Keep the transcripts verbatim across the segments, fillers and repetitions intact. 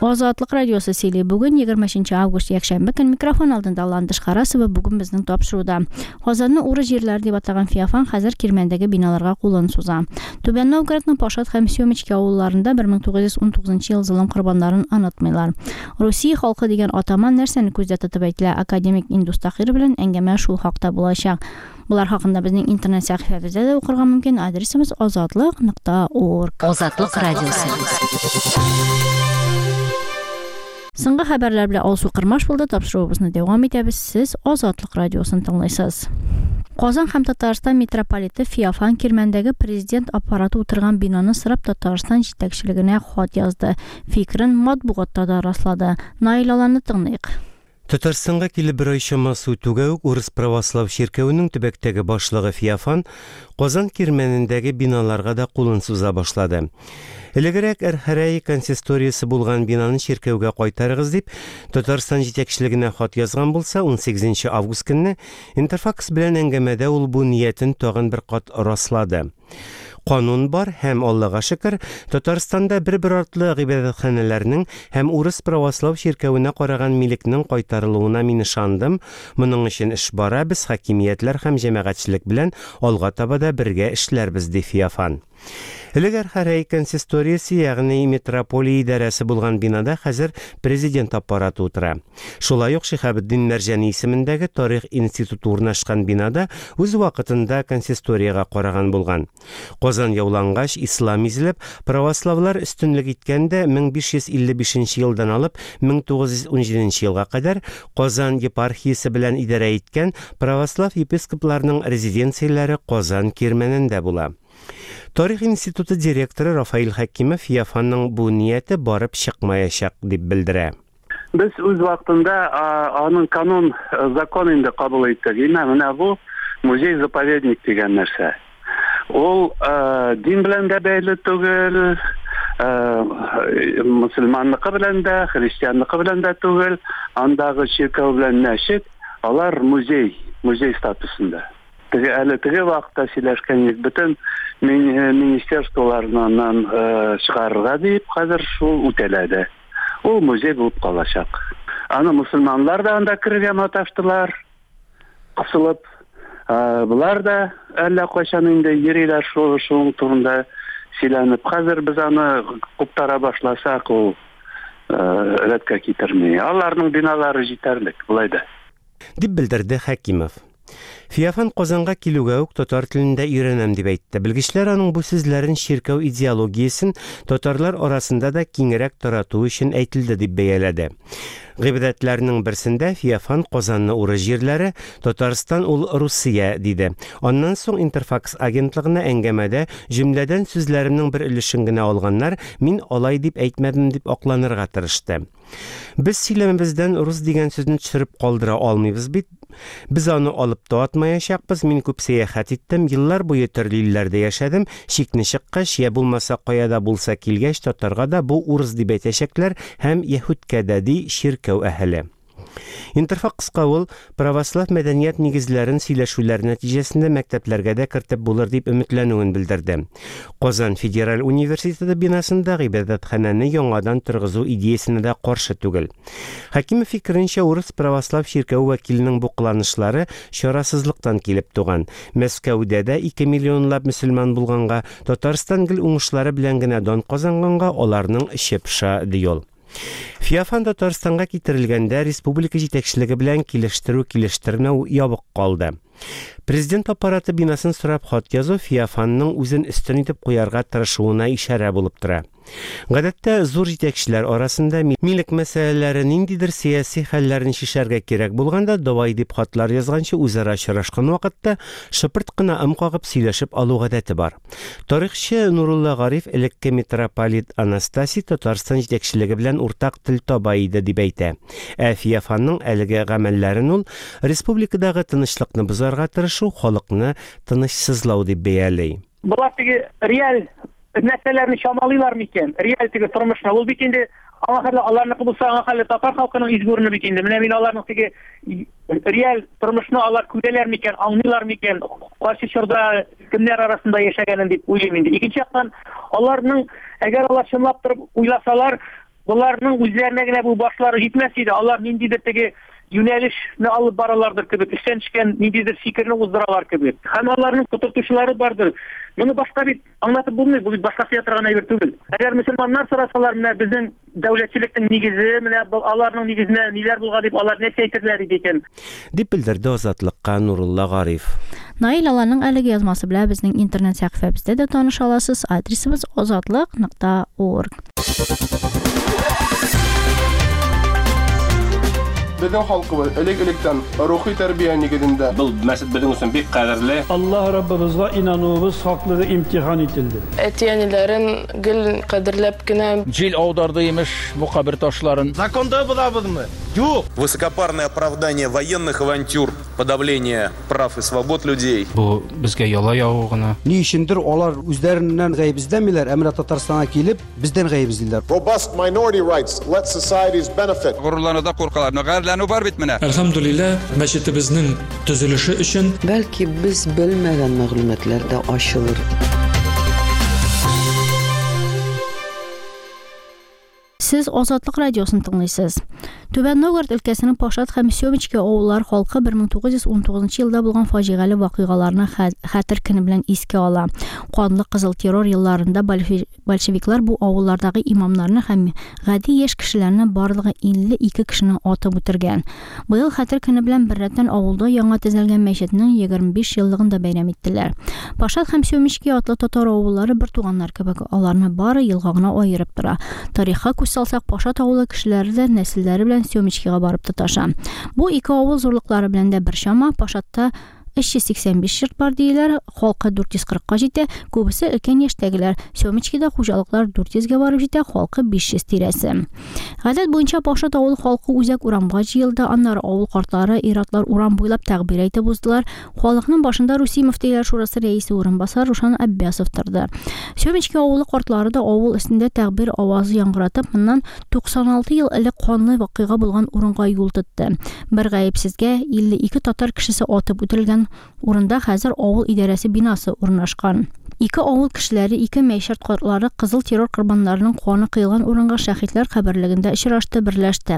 Азатлык радиосы сөйли. Бүген егерме өченче август, якшәмбе көн. Микрофон алдында Ландыш Харасова. Бүген безнең тапшыруда Казанны урыс җирләре дип атаган Феофан хәзер Кирмәндәге биналарга кулын суза. Түбән Новгородның Пашат һәм Семечки авылларында бер мең тугыз йөз унтугызынчы ел золым корбаннарын онытмыйлар. Русия халкы дигән атама нәрсәне күздә тотып әйтелә? Академик Индус Тахир белән әңгәмә шул хакта булачак. Булар хакында безнең интернет сәхифәбездә дә укырга мөмкин. Адресыбыз азатлык нокта орг. Азатлык радиосы. Соңгы хәбәрләр белән Алсу Кырмаш булды. Тапшыруыбызны дәвам итәбез. Сез Азатлык радиосын тыңлыйсыз. Казан һәм Татарстан митрополиты Феофан Кирмәндәге президент аппараты утырган бинаны сорап Татарстан җитәкчелегенә хат язды. Фикерен матбугатта да раслады. Наил Аланны тыңлыйк. Татарстанга килеп бер ай чамасы үтүгә үк Урыс православ чиркәвенең төбәктәге башлыгы Феофан Казан Кирмәнендәге биналарга да кулын суза башлады. Элегрәк Әрхәрәй консисториясе булган бинаны чиркәүгә кайтарыгыз дип Татарстан җитәкчелегенә хат язган булса, унсигезенче август көнне Интерфакс белән әңгәмәдә ул бу ниятен тагын бер кат раслады. Канун бар һәм Аллаһка шөкер, Татарстанда бер-бер артлы гыйбадәтханәләрнең һәм урыс православ чиркәвенә караган милекнең кайтарылуына мин ышандым. Моның өчен эш бара, без хакимиятләр һәм җәмәгатьчелек белән алга таба да бергә эшләрбез, ди Феофан. Элек Әрхәрәй консисториясе, ягъни митрополия идарәсе булган бинада хәзер президент аппараты утыра. Шулай ук Шиһабетдин Мәрҗани исемендәге тарих институты урнашкан бинада үз вакытында консисториягә караган булган. Казан яулангач, ислам изелеп, православлар өстенлек иткәндә мең биш йөз илле бишенче елдан алып мең тугыз йөз ун җиденче елга кадәр Казан епархиясе белән идарә иткән православ епископларының резиденцияләре Казан Кирмәнендә була. Тарих институты директоры Рафаил Хәкимов Феофанның бу нияте барып чыкмаячак дип белдерә. Без үз вакытында, а, аның канун, э, закон инде кабул иттек. Имә менә бу музей-заповедник дигән нәрсә. Ул, э, дин белән дә бәйле түгел, э, мөселманныкы белән дә, христианныкы белән дә түгел. Андагы чиркәү белән мәчет, алар музей, музей статусында. Теге әле теге вакытта сөйләшкән идек, бөтен мин-, э, министерстволарыннан, э, чыгарырга дип, хәзер шул үтәләде. Ул музей булып калачак. Аны мөселманнар да анда керергә маташтылар, кысылып. Э, булар да әллә кайчан инде йөриләр шул, шул турында сөйләнеп. Хәзер без аны куптара башласак, ул, э, рәткә китерми. Аларның биналары җитәрлек, болай да. Дип белдерде Хәкимов. Феофан Казанга килүгә үк татар телендә өйрәнәм дип әйтте. Белгечләр аның бу сүзләрен чиркәү идеологиясен татарлар арасында да киңрәк тарату өчен әйтелде дип бәяләде. Гыйбадәтләрнең берсендә Феофан Казанны урыс җирләре, Татарстан ул Русия диде. Аннан соң Интерфакс агентлыгына әңгәмәдә җөмләдән сүзләремнең бер өлешен генә алганнар, мин алай дип әйтмәдем дип акланырга тырышты. Без сөйләмебездән рус дигән сүзне төшереп калдыра алмыйбыз бит. Без аны алып та атмаячакбыз. Мин күп сәяхәт иттем, еллар буе төрле илләрдә яшәдем. Чикне чыккач, я булмаса кая да булса килгәч, татарга да бу урыс дип әйтәчәкләр һәм яһүдкә дә, ди чиркәү әһеле. Интерфакска ул православ мәдәният нигезләрен сөйләшүләр нәтиҗәсендә мәктәпләргә дә кертеп булыр дип өметләнүен белдерде. Казан федераль университеты бинасында гыйбадәтханәне яңадан торгызу идеясенә дә каршы түгел. Хәкимов фикеренчә, урыс православ чиркәү вәкиленең бу кыланышлары чарасызлыктан килеп туган. Мәскәүдә дә ике миллионлап мөселман булганга, Татарстан гел уңышлары белән генә дан казанганга аларның эче пыша, ди ул. Феофан Татарстанга китерелгәндә республика җитәкчелеге белән килештерү-килештермәү ябык калды. Президент аппараты бинасын сорап хат язу Феофанның үзен өстен итеп куярга тырышуына ишарә булып тора. Гадәттә зур җитәкчеләр арасында ми-, милек мәсьәләләре ниндидер сәяси хәлләрне чишәргә кирәк булганда давай дип хатлар язганчы үзара очрашкан вакытта шыпырт кына ым кагып сөйләшеп алу гадәте бар. Тарихчы Нурулла Гариф элекке митрополит Анастасий Татарстан җитәкчелеге белән уртак тел таба иде дип әйтә. Ә Феофанның әлеге гамәлләрен ул республикадагы тынычлыкны бозарга тырышу, халыкны тынычсызлау дип бәяли. Булар теге реаль нәрсәләрне чамалыйлар микән? Реаль теге тормышны. Ул бит инде аңа хәтле аларныкы булса, аңа хәтле татар халкының изге урыны бит инде. Менә мин аларның теге реаль тормышны алар күрәләр микән, аңлыйлар микән, кайсы чорда кемнәр арасында яшәгәнен дип уйлыйм инде. Икенче яктан, аларның, әгәр алар чынлап торып уйласалар, Боларның үзләренә генә бу башлары җитмәс иде. Алар ниндидер теге юнәлешне алып баралардыр кебек, эштән төшкән ниндидер фикерне уздыралар кебек. Һәм аларның котыртучылары бардыр. Моны башка бит аңлатып булмый, бу бит башка сөя торган әйбер түгел. Әгәр мөселманнар сорасалар, менә безнең дәүләтчелекнең нигезе, менә аларның нигезенә ниләр булган дип алар нәрсә әйтерләр иде икән? Дип белдерде Азатлыкка Нурулла Гариф. Наил Аланның әлеге язмасы белән безнең интернет сәхифәбездә дә таныша аласыз. Адресыбыз азатлык нокта орг. Безнең халкыбыз элек-электән рухи тәрбия нигезендә. Был мәсҗид безнең өчен бик кадерле. Аллаһ Раббыбызга инануыбыз хаклыгы имтихан ителде. Әти-әниләрен гел кадерләп кенә. Җил аударды имеш бу кабер ташларын. Законда булабызмы? Юк. Высокопарное оправдание военных авантюр, подавление прав и свобод людей. Бу безгә яла ягу гына. Ни өчендер алар үзләреннән гаеп эзләмиләр, ә менә Татарстанга килеп бездән гаеп эзлиләр. Robust minority rights let societies benefit. Горурлануда куркалар. Гарьләнү бар бит менә. Әлхәмдүлилләһ, мәчетебезнең төзелеше өчен бәлки без белмәгән мәгълүматлар да ачылыр. Сез Азатлык радиосын тыңлыйсыз. Түбән Новгород өлкәсенең Пашат һәм Семечки авыллары халкы бер мең тугыз йөз унтугызынчы елда булган фаҗигале вакыйгаларны хәтер көне белән искә ала. Канлы кызыл террор елларында большевиклар бу авыллардагы имамнарны һәм гади яшь кешеләрне барлыгы илле ике кешене атып үтергән. Быел хәтер көне белән беррәттән авылда яңа төзелгән мәчетнең егерме биш еллыгын да бәйрәм иттеләр. Пашат һәм Семечки атлы татар авыллары бер туганнар кебек, аларны бары елга гына аерып тора. Тарихка күз салсак, Пашат авылы кешеләре дә нәселләре белән Семечкига барып тоташа. Бу ике авыл зурлыклары белән дә бер чама. Пашатта өч йөз сиксән биш йорт бар диеләр, халкы дүрт йөз кырыкка җитә, күбесе өлкән яшьтәгеләр. Семечкида хуҗалыклар дүрт йөзгә барып җитә, халкы биш йөз тирәсе. Гадәт буенча Пашат авыл халкы үзәк урамга җыелды, аннары авыл картлары, ир-атлар урам буйлап тәкбир әйтеп уздылар. Халыкның башында Русия мөфтиләр шурасы рәисе урынбасары Рушан Аббасов торды. Семечки авылы картлары да авыл өстендә тәкбир авазы яңгыратып, моннан туксан алты ел элек канлы вакыйга булган урынга юл тотты. Бер гаепсезгә илле ике татар кешесе атып үтерелгән урында хәзер авыл идарәсе бинасы урнашкан. Ике авыл кешеләре, ике мәйшәт картлары кызыл террор корбаннарының каны кыйган урынга шәһитләр каберлегендә очрашты, берләште.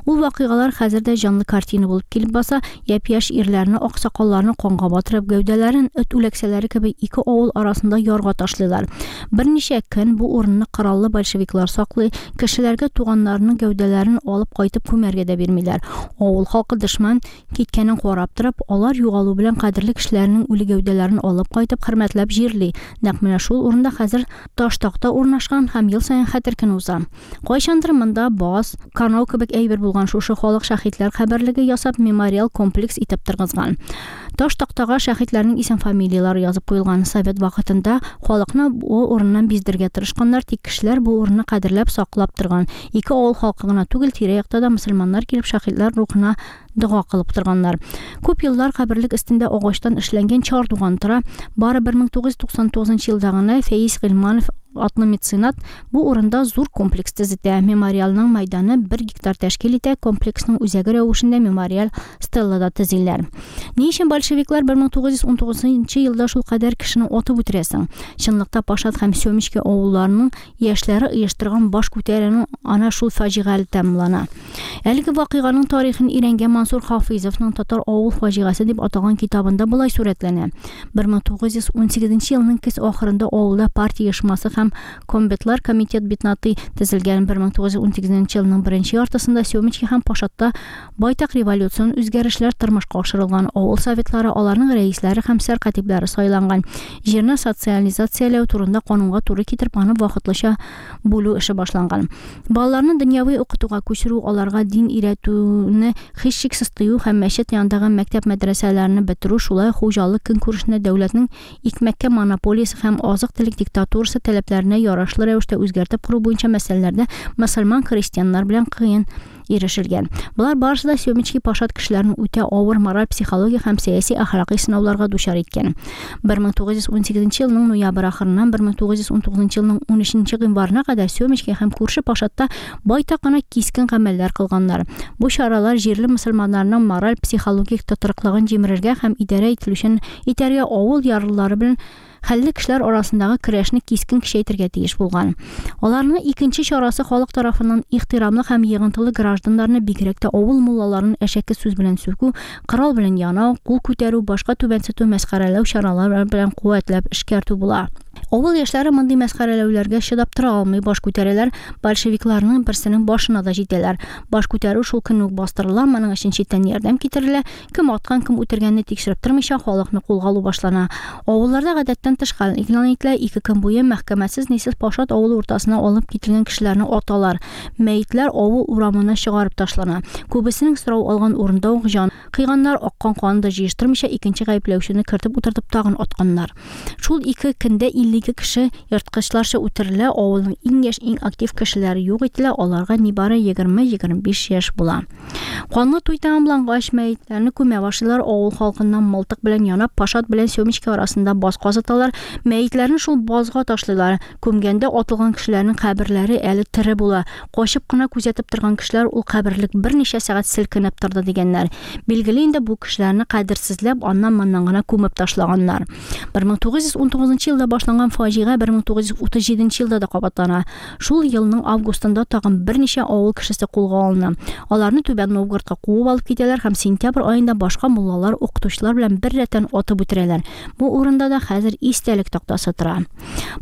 Ул вакыйгалар хәзер дә җанлы картина булып килеп баса, япь-яшь ирләрне, аксакалларны канга батырып, гәүдәләрен эт үләксәләре кебек ике авыл арасында ярга ташлыйлар. Берничә көн бу урынны кораллы большевиклар саклый, кешеләргә туганнарының гәүдәләрен алып кайтып күмәргә дә бирмиләр. Авыл халкы дошман киткәнен карап торып, алар югалу белән кадерле кешеләрнең үле гәүдәләрен алып кайтып хөрмәтләп җирли. Нәкъ менә шул урында хәзер таш такта урнашкан һәм ел саен хәтер көне уза. Кайчандыр монда баз, канау кебек әйбер булган шушы халык шәһитләр каберлеге ясап мемориал комплекс итеп торгызган. Таш тактага шәһитләрнең исем фамилияләре язып куелган. Совет вакытында халыкны бу урыннан биздергә тырышканнар, тик кешеләр бу урынны кадерләп саклап торган. Ике авыл халкы гына түгел, тирә-якта да мөселманнар килеп шәһитләр рухына дога кылып торганнар. Күп еллар каберлек өстендә агачтан эшләнгән чардуган тора. Бары бер мең тугыз йөз туксан тугызынчы елда гына Фәиз Гыйльманов атлы меценат бу урында зур комплекс төзетә. Мемориалның мәйданы бер гектар тәшкил итә. Комплексның үзәге рәвешендә мемориал стелла да төзиләр. Ни өчен большевиклар бер мең тугыз йөз унтугызынчы елда шул кадәр кешене атып үтерәсең? Чынлыкта Пашат һәм Семечки авылларының яшьләре оештырган баш күтәрүнең ана шул фаҗигале тәмамлана. Әлеге вакыйганың тарихын өйрәнгән Мансур Хафизовның Татар авыл фаҗигасе дип аталган китабында болай сурәтләнә. бер мең тугыз йөз унсигезенче елның көз ахырында авылда партия оешмасы һәм комбетлар комитет битнаты төзелгән. Бер мең тугыз йөз унсигезенче елның беренче яртысында Семечки һәм Пашатта байтак революцион үзгәрешләр тормышка ашырылган. Авыл советлары, аларның рәисләре һәм сәркатипләре сайланган. Җирне социализацияләү турында канунга туры китереп, аны вакытлыча бүлү эше башланган. Балаларны дөньяви укытуга күчерү, аларга дин өйрәтүне һичшиксез тыю һәм мәчет янындагы мәктәп мәдрәсәләрен бетерү, шулай хуҗалык көнкүрешенә дәүләтнең икмәккә монополиясе һәм азык-төлек диктатурасы таләпләренә ярашлы рәвештә үзгәртеп кору буенча мәсьәләләрдә мөселман христианнар белән кыен ирешелгән. Болар барысы да Семечки Пашат кешеләрен үтә авыр мораль, психологик һәм сәяси әхлакый сынауларга дучар иткән. бер мең тугыз йөз унсигезенче елның ноябрь ахырыннан бер мең тугыз йөз унтугызынчы елның унөченче гыйнварына кадәр Семечки һәм күрше Пашатта байтак кына кискен гамәлләр кылганнар. Бу чаралар җирле мөселманнарның мораль, психологик тотрыклыгын җимерергә һәм идарә ителүчен итәргә авыл ярлылары белән хәлле кешеләр арасындагы көрәшне кискен көчәйтергә тиеш булган. Аларның икенче чарасы халык тарафыннан ихтирамлы һәм йыгынтылы гражданнарны, бигрәк тә авыл муллаларын әшәке сүз белән сүгү, корал белән янау, кул күтәрү, башка түбәнсетү, мәсхәрәләү чаралары белән куәтләп эшкәртү була. Авыл яшьләре мондый мәсхәрәләүләргә чыдап тора алмый, баш күтәрәләр, большевикларның берсенең башына да җитәләр. Баш күтәрү шул көнне үк бастырыла, моның өчен читтән ярдәм китерелә, кем аткан, кем үтергәнне тикшереп тормыйча халыкны кулга алу башлана. Авылларда гадәттән тыш хәл игълан ителә, ике көн буе мәхкәмәсез нисез Пашат авылы уртасына алып кителгән кешеләрне аталар. Мәетләр авыл урамына чыгарып ташлана. Күбесенең сорау алган урында ук җан кыйганнар, аккан канны да җыештырмыйча икенче гаепләүчене кертеп утыртып тагын атканнар. Шул ике көндә илле ике кеше ерткычларча үтерелә, авылның иң яшь, иң актив кешеләре юк ителә, аларга нибары егерме-егерме биш яшь була. Канлы туй тәмамлангач, мәетләрне күмә башлыйлар, авыл халкыннан мылтык белән янап, Пашат белән Семечка арасында баз казыталар, мәетләрне шул базга ташлыйлар. Күмгәндә атылган кешеләрнең каберләре әле тере була. Качып кына күзәтеп торган кешеләр ул каберлек берничә сәгать селкенеп торды дигәннәр. Билгеле инде бу кешеләрне кадерсезләп, аннан-моннан гына күмеп ташлаганнар. бер мең тугыз йөз унтугызынчы елда башланган фаҗига бер мең тугыз йөз утыз җиденче елда да кабатлана. Шул елның августында тагын берничә авыл кешесе кулга алына. Аларны Түбән Новгородка куып алып китәләр һәм сентябрь аенда башка муллалар, укытучылар белән бер рәттән атып үтерәләр. Бу урында да хәзер истәлек тактасы тора.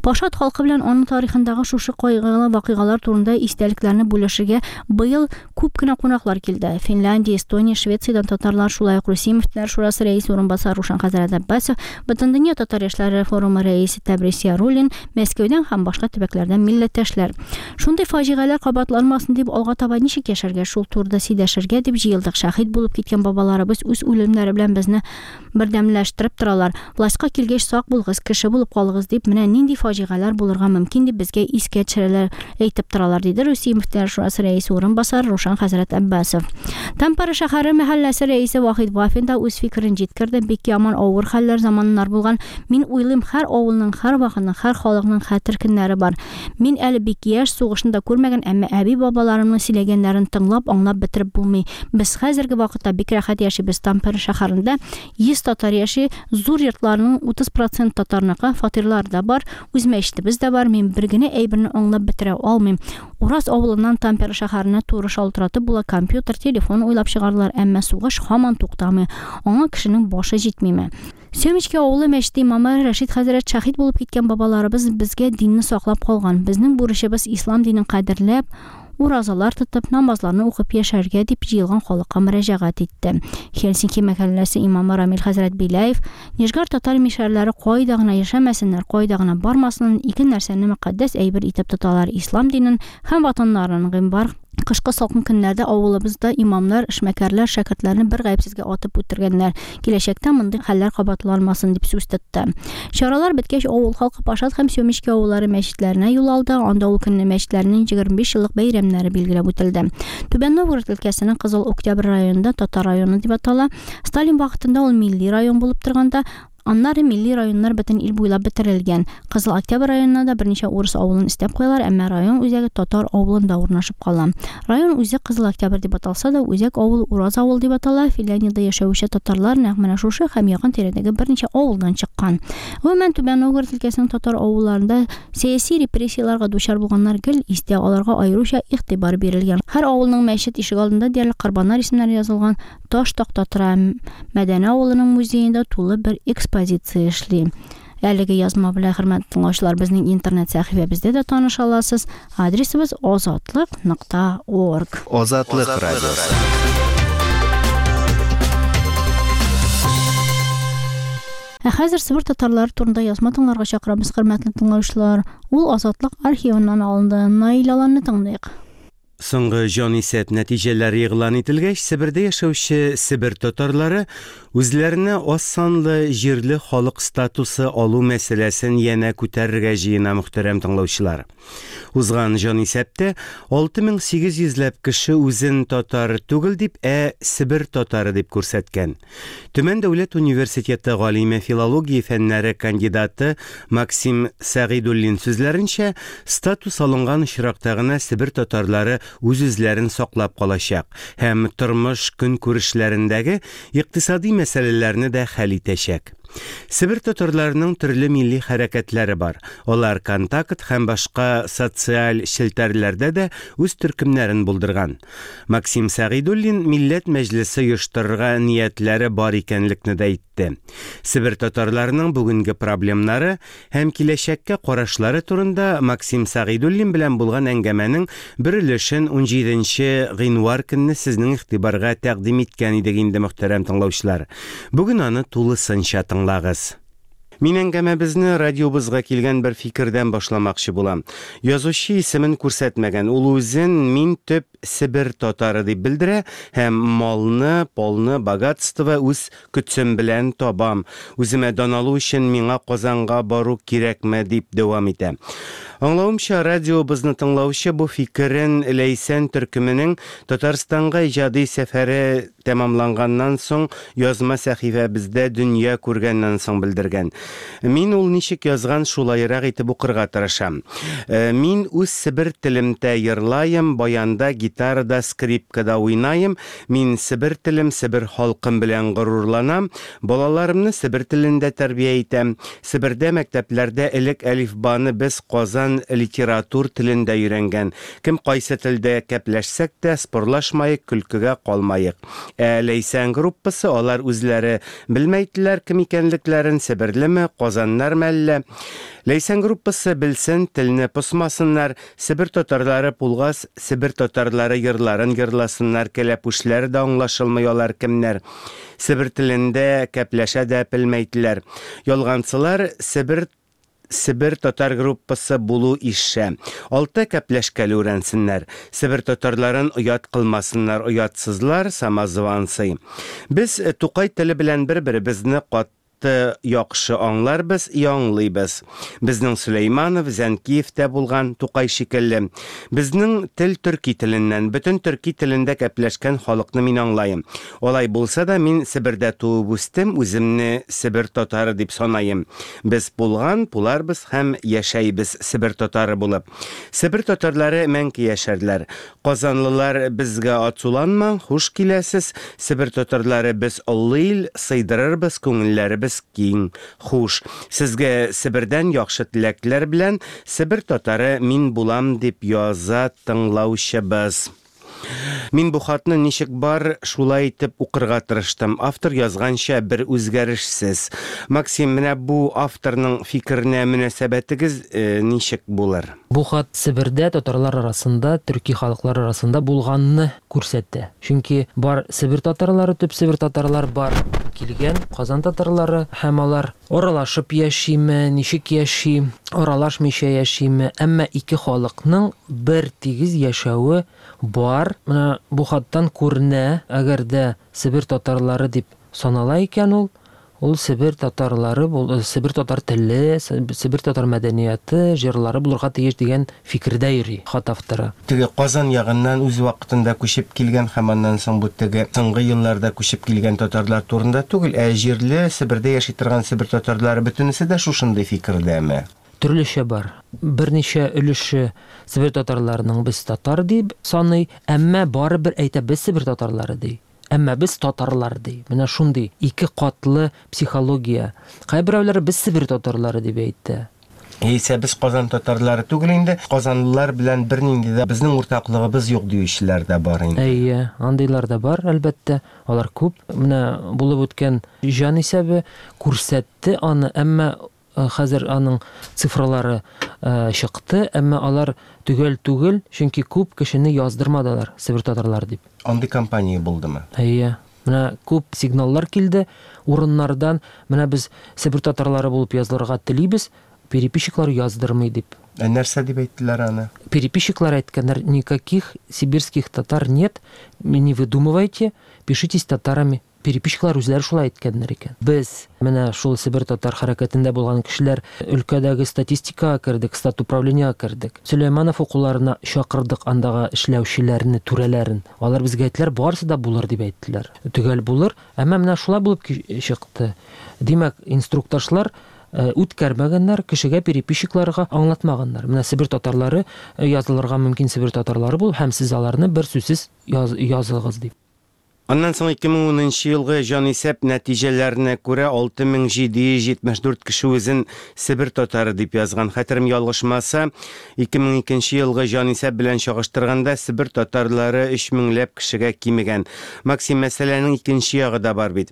Пашат халкы белән аның тарихындагы шушы кайгылы вакыйгалар турында истәлекләрне бүлешергә быел күп кенә кунаклар килде. Финляндия, Эстония, Швециядән татарлар, шулай ук Русия Мөфтиләр Шурасы рәисе урынбасары Рушан хәзрәт Аббасов, Бөтендөнья татар яшьләре форумы рәисе Тәбрис Яруллин, Мәскәүдән һәм башка төбәкләрдән милләттәшләр. Шундый фаҗигаләр кабатланмасын дип алга таба ничек яшәргә, шул турыда сөйләшергә дип җыелдык. Шаһит булып киткән бабаларыбыз үз үлемнәре белән безне бердәмләштереп торалар. Властька килгәч сак булыгыз, кеше булып калыгыз дип, менә нинди фаҗигаләр булырга мөмкин дип безгә искә төшерәләр, әйтеп торалар, диде Русия Мөфтиләр Шурасы рәисе урынбасары Рушан хәзрәт Аббасов. Тампара шәһәре мәхәлләсе рәисе Вахид Вафин да үз фикерен җиткерде. Бик яман авыр хәлләр, заманнар булган. Мин уйлыйм, һәр авылның, һәр вакытның, һәр халыкның хәтер көннәре бар. Мин әле бик яшь, сугышны да күрмәгән, әмма әби бабаларымның сөйләгәннәрен тыңлап, аңлап бетереп булмый. Без хәзерге вакытта бик рәхәт яшибез. Тампара шәһәрендә йөз татар яши, зур йортларның утыз процент татарныкы, фатирлар да бар, үз мәчетебез дә бар. Мин бер генә әйберне аңлап бетерә алмыйм. Урас авылыннан Тампера шәһәренә туры шалтыратып була, компьютер, телефон уйлап чыгардылар, әмма сугыш һаман туктамый. Аңа кешенең башы җитмиме? Семечке авылы мәчете имамы Рәшид хәзрәт шаһит булып киткән бабаларыбыз безгә динне саклап калган. Безнең бурычыбыз ислам динен кадерләп, уразалар тотып, намазларны укып яшәргә дип җыелган халыкка мөрәҗәгать итте. Хельсинки мәхәлләсе имамы Рамил хәзрәт Беляев, Нижгар татар мишәрләре кайда гына яшәмәсеннәр, кайда гына бармасын, ике нәрсәне мөкатдәс әйбер итеп тоталар: ислам динен һәм ватаннарын. Гыйнвар кышкы салкын көннәрдә авылыбызда имамнар, эшмәкәрләр шәкертләрне бер гаепсезгә атып үтергәннәр. Киләчәктә мондый хәлләр кабатланмасын дип сүз тотты. Чаралар беткәч, авыл халкы Пашат һәм Семечке авыллары мәчетләренә юл алды. Анда ул көнне мәчетләрнең егерме биш еллык бәйрәмнәре билгеләп үтелде. Түбән Новгород өлкәсенең Кызыл Октябрь районында татар районы дип атала. Сталин вакытында ул милли район булып торганда, аннары милли районнар бөтен ил буйлап бетерелгән. Кызыл Октябрь районына да берничә урыс авылын өстәп куялар, әмма район үзәге татар авылында урнашып кала. Район үзе Кызыл Октябрь дип аталса да, үзәк авыл Ураз авыл дип атала. Финляндиядә яшәүче татарлар нәкъ менә шушы һәм якын тирәдәге берничә авылдан чыккан. Гомумән, Түбән Новгород өлкәсенең татар авылларында сәяси репрессияләргә дучар булганнар гел истә, аларга аеруча игътибар бирелгән. Һәр авылның мәчет ишегалдында диярлек корбаннар исемнәре язылган таш такта тора. Мәдәнә авылының музеенда тулы бер экспозиция эшли. Әлеге язма белән, хөрмәтле тыңлаучылар, безнең интернет сәхифәбездә дә таныша аласыз. Адресыбыз азатлык нокта орг. Азатлык радиосы. Ә хәзер Себер татарлары турында язма тыңларга чакырабыз, хөрмәтле тыңлаучылар. Ул Азатлык архивыннан алынды. Наил Аланны тыңлыйк. Соңгы җанисәп нәтиҗәләре игълан ителгәч, Себердә яшәүче Себер татарлары үзләренә аз санлы җирле халык статусы алу мәсьәләсен янә күтәрергә җыена, мөхтәрәм тыңлаучылар. Узган җанисәптә алты мең сигез йөзләп кеше үзен татар түгел дип, ә Себер татары дип күрсәткән. Төмән дәүләт университеты галиме, филология фәннәре кандидаты Максим Сәгыйдуллин сүзләренчә, статус алынган очракта гына Себер татарлары үз-үзләрен саклап калачак һәм тормыш көнкүрешләрендәге икътисади мәсьәләләрне дә хәл итәчәк. Себер татарларының төрле милли хәрәкәтләре бар. Алар Контакт һәм башка социаль челтәрләрдә дә үз төркемнәрен булдырган. Максим Сәгыйдуллин Милләт мәҗлесе оештырырга ниятләре бар икәнлекне дә әйтте. Себер татарларының бүгенге проблемнары һәм киләчәккә карашлары турында Максим Сәгыйдуллин белән булган әңгәмәнең бер өлешен унҗиденче гыйнвар көнне сезнең игътибарга тәкъдим иткән идек инде, мөхтәрәм тыңлаучылар. Бүген аны тулысынча тыңлагыз. Мин әңгәмәбезне радиобызга килгән бер фикердән башламакчы булам. Язучы исемен күрсәтмәгән, ул үзен мин төп Себер татары дип белдерә һәм малны, полны, богатство үз көтсем белән табам. Үземә дан алу өчен миңа Казанга бару кирәкме дип дәвам итә. Аңлавымча, радиобызны тыңлаучы бу фикерен Ләйсән төркеменең Татарстанга иҗади сәфәре тәмамланганнан соң язма сәхифәбездә дөнья күргәннән соң белдергән. Мин ул ничек язган шулайрак итеп укырга тырышам. Мин үз Себер телемдә йырлайым, баянда, гитарада, скрипкада уйнайым. Мин Себер телем, Себер халкым белән горурланам. Балаларымны Себер телендә тәрбия итәм. Себердә мәктәпләрдә элек әлифбаны без Казан литератур телендә өйрәнгән. Кем кайсы телдә кәпләшсәк тә, спорлашмайык, көлкегә калмайык. Ә Ләйсән группасы алар үзләре белмәйделәр кем икәнлекләрен, себерлеме, Казаннар мәллә. Ләйсән группасы белсен, телне посмасыннар, Себер татарлары булгас, Себер татарлары йырларын йырласыннар, кәләпүшләре дә аңлашылмый алар кемнәр. Себер телендә кәпләшә дә белмәйделәр. Ялганчылар Себер Себер татар группасы булу ише. Алты кәпләшкәле үрәнсеннәр. Себер татарларын оят кылмасыннар, оятсызлар, самозванцы. Без Тукай теле белән бер-беребезне кат яхшы аңларбыз, яңлыйбыз. Безнең Сөләйманов, Зәнкиевтә булган Тукай шикелле. Безнең тел төрки теленнән, бөтен төрки телендә кәпләшкән халыкны мин аңлайым. Алай булса да мин Себердә туып үстем, үземне Себер татары дип санайым. Без булган, буларбыз һәм яшәйбез Себер татары булып. Себер татарлары мәңге яшәрләр. Казанлылар безгә ацуланмаң, хуш киләсез. Себер татарлары без олы ил, сыйдырырбыз, күңелләребез киң. Хуш. Сезгә Себердән яхшы теләкләр белән Себер татары мин булам дип яза тыңлаучыбыз. Мин бу хатны ничек бар шулай итеп укырга тырыштым. Автор язганча бер үзгәрешсез. Максим, менә бу авторның фикеренә мөнәсәбәтегез э, ничек булыр? Бу хат Себердә татарлар арасында, төрки халыклар арасында булганны күрсәтә. Чөнки бар Себер татарлары, төп Себер татарлар бар килгән Казан татарлары һәм алар аралашып яшиме, ничек яши, аралашмыйча яшиме, әмма ике халыкның бер тигез яшәве бар. Менә бу хаттан күренә, әгәр дә Себер татарлары дип санала икән ул, ул Себер татарлары, Себер татар теле, Себер татар мәдәнияте, җырлары булырга тиеш дигән фикердә йөри хат авторы. Теге Казан ягыннан үз вакытында күчеп килгән һәм аннан соң бу теге соңгы елларда күчеп килгән татарлар турында түгел, ә җирле Себердә яши торган Себер татарлары бөтенесе дә шушындый фикердәме? Төрлечә бар. Берничә өлеше Себер татарларының без татар дип саный, әмма барыбер әйтә без Себер татарлары ди. Әмма без татарлар ди. Менә шундый ике катлы психология. Кайберәүләр без Себер татарлары дип әйтте. Яисә без Казан татарлары түгел инде, казанлылар белән бернинди дә безнең уртаклыгыбыз юк диючеләр дә бар инде. Әйе, андыйлар да бар, әлбәттә. Алар күп. Менә булып үткән җан исәбе күрсәтте аны, әмма хәзер аның цифралары чыкты, әмма алар төгәл түгел, чөнки күп кешене яздырмадылар Себер татарлары дип. Андый компания булдымы? Әйе. Менә күп сигналлар килде урыннардан. Менә без Себер татарлары булып язылырга телибез, переписчиклар яздырмый дип. Ә нәрсә дип әйттеләр аны? Переписчиклар әйткәннәр, никаких сибирских татар нет, не выдумывайте, пишитесь татарами. Переписчиклар үзләре шулай әйткәннәр икән. Без менә шул Себер татар хәрәкәтендә булган кешеләр өлкәдәге статистикага кердек, стат управлениега кердек. Сөләйманов укуларына чакырдык андагы эшләүчеләрне, түрәләрен. Алар безгә әйттеләр, барысы да булыр дип әйттеләр. Төгәл булыр, әмма менә шулай булып чыкты. Димәк, инструктажлар үткәрмәгәннәр, кешегә переписчикларга аңлатмаганнар. Менә Себер татарлары язылырга мөмкин Себер татарлары бул һәм сез аларны бер сүзсез языгыз дип. Аннан соң ике мең унынчы елгы җанисәп нәтиҗәләренә күрә алты мең җиде йөз җитмеш дүрт кеше үзен Себер татары дип язган. Хәтерем ялгышмаса, ике мең икенче елгы җанисәп белән чагыштырганда Себер татарлары өч меңләп кешегә кимегән. Максим, мәсьәләнең икенче ягы да бар бит.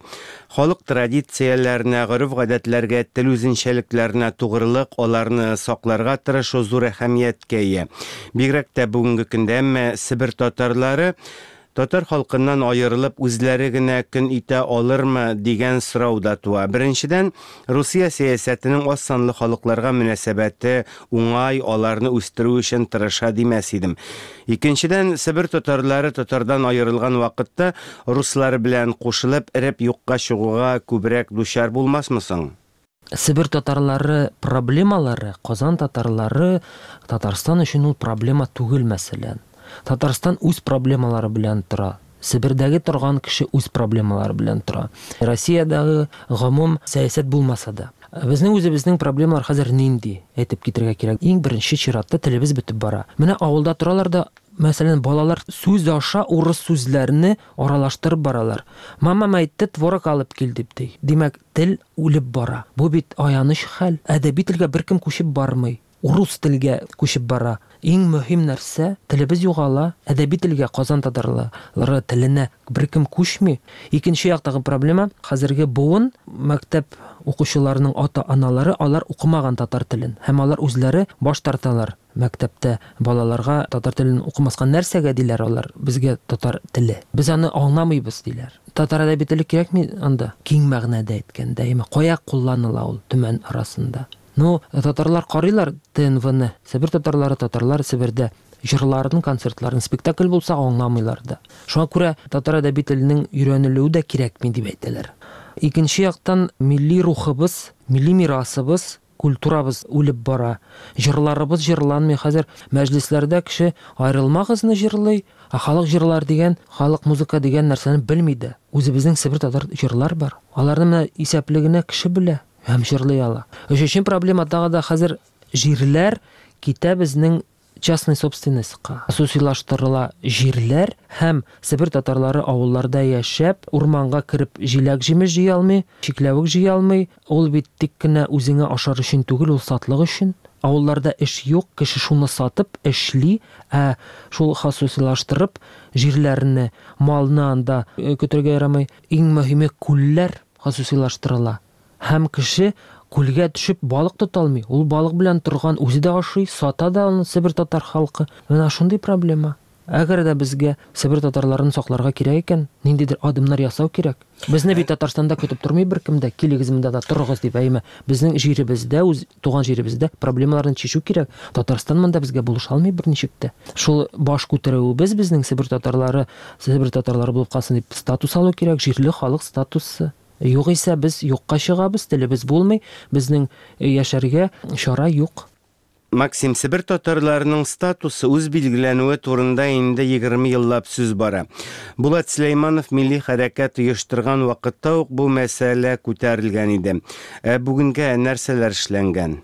Халык традицияләренә, гореф-гадәтләргә, тел үзенчәлекләренә тугрылык, аларны сакларга тырышу зур әһәмияткә ия. Бигрәк тә бүгенге көндә, әмма Себер татарлары татар халкыннан аерылып үзләре генә көн итә алырмы дигән сорау да туа. Беренчедән, Русия сәясәтенең аз санлы халыкларга мөнәсәбәте уңай, аларны үстерү өчен тырыша димәс идем. Икенчедән, Себер татарлары татардан аерылган вакытта руслар белән кушылып эреп юкка чыгуга күбрәк дучар булмасмы соң? Себер татарлары проблемалары, Казан татарлары Татарстан өчен ул проблема түгел, мәсәлән. Татарстан үз проблемалары белән тора. Себердәге торган кеше үз проблемалары белән тора. Россиядәге гомум сәясәт булмаса да. Безнең үзебезнең проблемалар хәзер нинди? Әйтеп китергә кирәк. Иң беренче чиратта телебез бетеп бара. Менә авылда торалар да, мәсәлән, балалар сүз аша урыс сүзләрне аралаштырып баралар. Мамам әйтте, творог алып кил дип ди. Димәк, тел үлеп бара. Бу бит аяныч хәл. Әдәби телгә беркем күчеп бармый. Урыс телгә күчеп бара. Иң мөһим нәрсә, телебез югала, әдәби телгә, Казан татарлары теленә беркем күчми. Икенче яктагы проблема, хәзерге буын мәктәп укучыларының ата-аналары, алар укымаган татар телен һәм алар үзләре баш тарталар. Мәктәптә балаларга татар телен укымаска нәрсәгә диләр алар, безгә татар теле. Без аны аңламыйбыз диләр. Татар әдәби теле кирәкми анда, киң мәгънәдә әйткәндә, әмма кая кулланыла ул Төмән арасында? Ну, татарлар карыйлар Т Н В-ны. Себер татарлары, татарлар Себердә җырларын, концертларын, спектакль булса аңламыйлар да. Шуңа күрә татар әдәби теленең өйрәнелүе дә кирәкми дип әйтәләр. Икенче яктан милли рухыбыз, милли мирасыбыз, культурабыз үлеп бара. Җырларыбыз җырланмый. Хәзер мәҗлесләрдә кеше аерылмагызны җырлый, ә халык җырлар дигән, халык музыка дигән нәрсәне белми дә. Үзебезнең Себер татар җырлар бар. Аларны менә исәпле генә кеше белә һәм җырлый ала. Өченче проблема тагы да хәзер җирләр китә безнең частный собственностька. Хосусилаштырыла җирләр һәм Себер татарлары авылларда яшәп, урманга кереп җиләк җимеш җыя алмый, чикләвек җыя алмый. Ул бит тик кенә үзеңә ашар өчен түгел, ул сатлык өчен. Авылларда эш юк, кеше шуны сатып эшли, ә шул хосусилаштырып җирләрне, малны анда көтергә ярамый. Иң мөһиме күлләр хосусилаштырыла. Һәм кеше күлгә төшеп балык тота алмый. Ул балык белән торган, үзе дә ашый, сата да аны Себер татар халкы. Менә шундый проблема. Әгәр дә безгә Себер татарларын сакларга кирәк икән, ниндидер адымнар ясау кирәк. Безне бит Татарстанда көтеп тормый беркем дә, килегез монда да торыгыз дип, әйме. Безнең җиребездә, үз туган җиребездә проблемаларны чишү кирәк. Татарстан монда безгә булыша алмый берничек тә. Шул баш күтәрүебез безнең Себер татарлары, Себер татарлары булып калсын дип статус алу кирәк, җирле халык статусы. Югыйсә без юкка чыгабыз, телебез булмый, безнең яшәргә чара юк. Максим, Себер татарларының статусы үз билгеләнүе турында инде егерме еллап сүз бара. Булат Сөләйманов милли хәрәкәт оештырган вакытта ук бу мәсьәлә күтәрелгән иде. Ә бүгенгә нәрсәләр эшләнгән?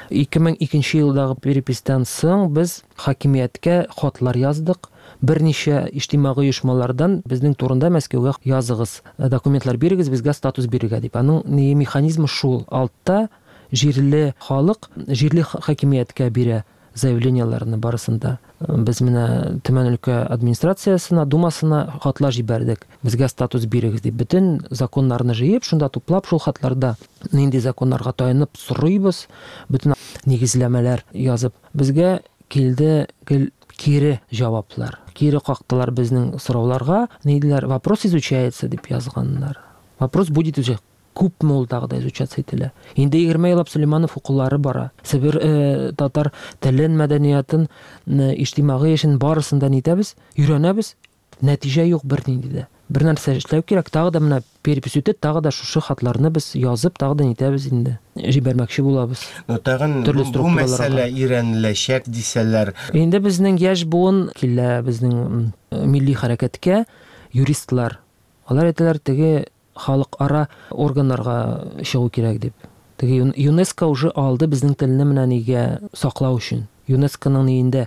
Ике мең икенче елдагы переписьтән соң без хакимияткә хатлар яздык. Берничә иҗтимагый оешмалардан безнең турында Мәскәүгә языгыз, документлар бирегез, безгә статус бирергә дип. Аның ни механизмы шул. Алтта җирле халык җирле хакимияткә бирә заявлениеләрне барысында. Без менә Төмән өлкә администрациясенә, думасына хатлар җибәрдек. Безгә статус бирегез дип. Бөтен законнарны җыеп, шунда туплап, шул хатларда нинди законнарга таянып сорыйбыз, бөтен нигезләмәләр язып. Безгә килде гел кире җаваплар. Кире кактылар безнең сорауларга. Ни диләр? Вопрос изучается дип язганнар. Вопрос будет изучаться. Күпме ул тагы да изучаться ителә. Инде егерме еллап Сөләйманов укулары бара. Себер, э, татар телен, мәдәниятын, э, иҗтимагый эшен барысын да нитәбез, өйрәнәбез. Нәтиҗә юк бернинди дә. Бер нәрсә эшләү кирәк. Тагы да менә перепись үтә, тагы да шушы хатларны без язып, тагы да нитәбез инде. Җибәрмәкче булабыз. Но тагын Төрле бу структураларга. мәсьәлә өйрәнеләчәк дисәләр. Инде безнең яшь буын килә безнең, м, милли хәрәкәткә юристлар. Алар әйтәләр, теге халыкара органнарга чыгу кирәк дип. Теге Юн-, ЮНЕСКО уже алды безнең телне менә нигә саклау өчен. ЮНЕСКОның ниендә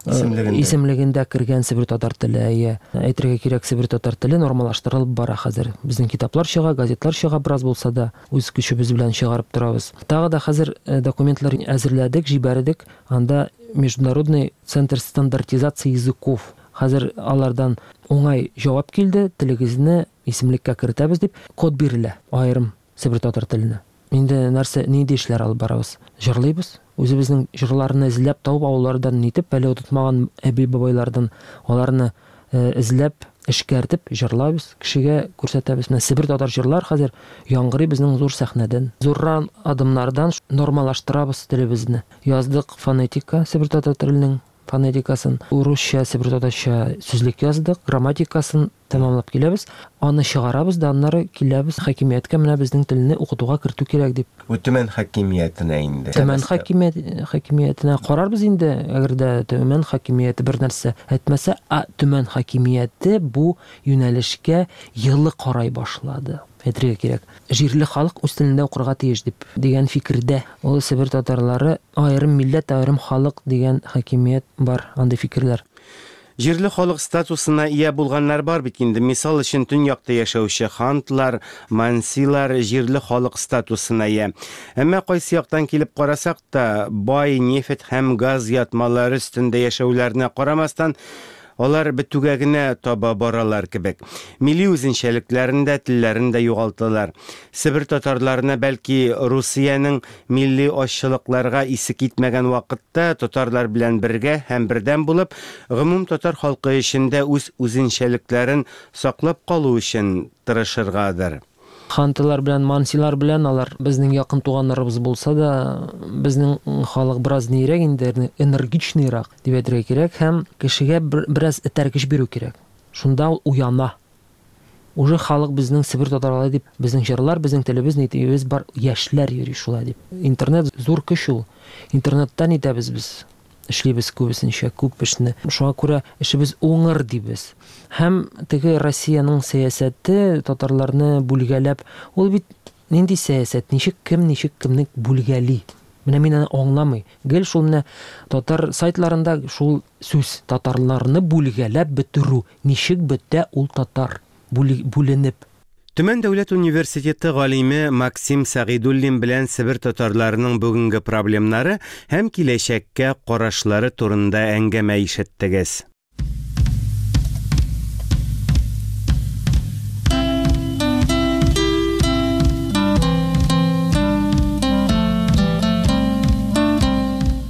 исемлегендә, исемлегендә кергән Себер татар теле. Әйе, әйтергә кирәк, Себер татар теле нормалаштырылып бара хәзер. Безнең китаплар чыга, газетлар чыга, бераз булса да үз көчебез белән чыгарып торабыз. Тагы да хәзер документлар әзерләдек, җибәрдек. Анда Международный центр стандартизации языков. Хәзер алардан уңай җавап килде, телегезне исемлеккә кертәбез дип код бирелә аерым Себер татар теленә. Инде нәрсә, нинди эшләр алып барабыз? Җырлыйбыз. Үзебезнең җырларны эзләп табып, авыллардан нитеп, әле отытмаган әби-бабайлардан аларны эзләп, эшкәртеп җырлабыз, кешегә күрсәтәбез. Менә Себер татар җырлар хәзер яңгырый безнең зур сәхнәдән. Зуррак адымнардан нормалаштырабыз телебезне. Яздык фонетика Себер татар теленең фонетикасын, урысча, Себер татарча сүзлек яздык, грамматикасын тәмамлап киләбез. Аны чыгарабыз да, аннары киләбез хакимияткә, менә безнең телне укытуга кертү кирәк дип. Бу Төмән хакимиятенә инде. Төмән хакимият, хакимиятенә карарбыз инде, әгәр дә Төмән хакимияте бер нәрсә әйтмәсә, а Төмән хакимияте бу юнәлешкә елы карай башлады. Әйтергә кирәк, җирле халык үз телендә укырга тиеш дип дигән фикердә. Ул Себер татарлары аерым милләт, аерым халык дигән хакимият бар, андый фикерләр. Җирле халык статусына ия булганнар бар бит инде. Мисал өчен, төньякта яшәүче хантлар, мансилар җирле халык статусына ия. Әмма кайсы яктан килеп карасак та, бай нефть һәм газ ятмалары өстендә яшәүләренә карамастан, алар бетүгә генә таба баралар кебек. Милли үзенчәлекләрен дә, телләрен дә югалталар. Себер татарларына бәлки Русиянең милли азчылыкларга исе китмәгән вакытта татарлар белән бергә һәм бердәм булып, гомум татар халкы эчендә үз үзенчәлекләрен саклап калу өчен тырышыргадыр. Хантылар белән, мансилар белән алар безнең якын туганнарыбыз булса да, безнең халык бераз нирәк инде, энергичныйрак дип әйтергә кирәк, һәм кешегә бераз этәргеч бирү кирәк. Шунда ул уяна. Уже халык безнең Себер татарлары дип, безнең җырлар, безнең телебез, нитебез бар, яшьләр йөри шулай дип. Интернет зур көч ул. Интернеттан итәбез без. Эшлибез күбесенчә, күп эшне. Шуңа күрә эшебез уңыр дибез. Һәм теге Россиянең сәясәте татарларны бүлгәләп, ул бит нинди сәясәт, ничек кем, ничек кемне бүлгәли. Менә мин аны аңламый. Гел шул менә татар сайтларында шул сүз, татарларны бүлгәләп бетерү. Ничек бетә ул татар бүленеп. Төмән дәүләт университеты галиме Максим Сәгыйдуллин белән Себер татарларының бүгенге проблемнары һәм киләчәккә карашлары турында әңгәмә ишеттегез.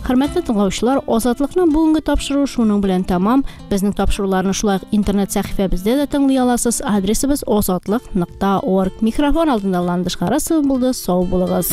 Хөрмәтле тыңлаучылар, Азатлыкның бүгенге тапшыруы шуның белән тәмам. Безнең тапшыруларны шулай ук интернет сәхифәбездә дә тыңлый аласыз. Адресыбыз азатлык нокта орг. Микрофон алдында Ландыш Харасова булды. Сау булыгыз.